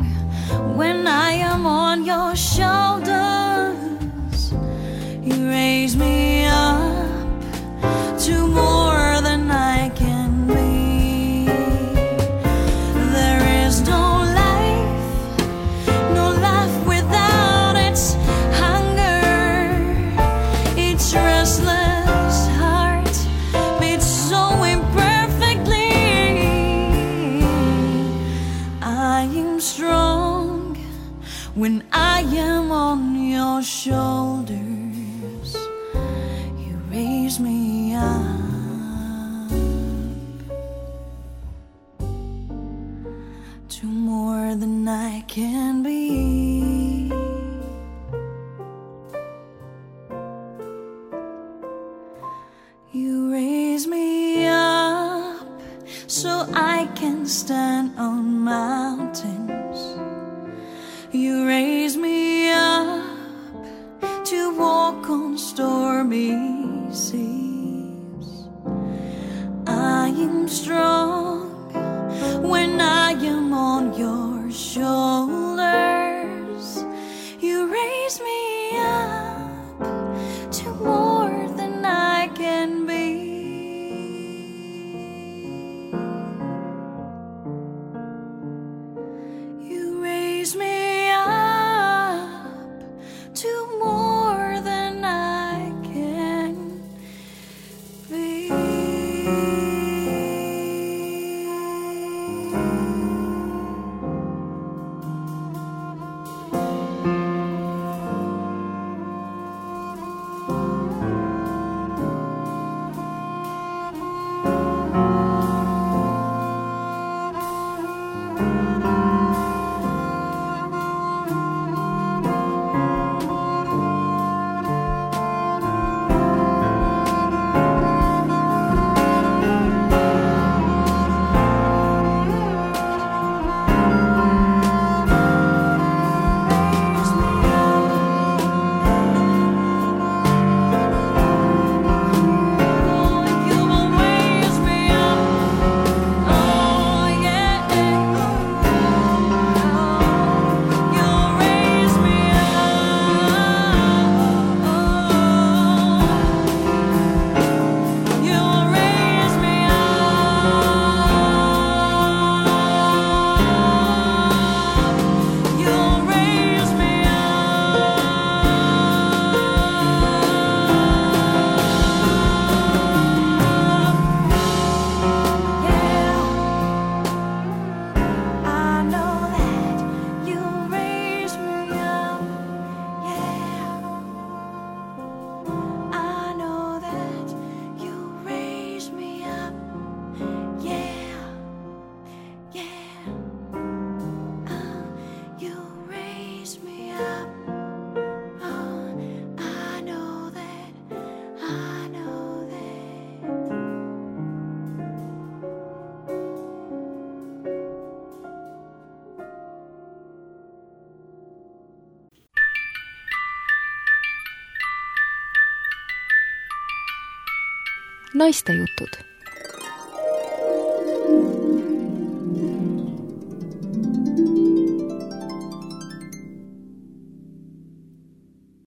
when I am on your shoulders. You raise me up to more than I can be. When I am on your shoulders, you raise me up to more than I can be. You raise me up so I can stand on mountains. You raise me up to walk on stormy seas. I am strong when I am on your shoulders. You raise me up to more than I can be. You raise me be. naistejutud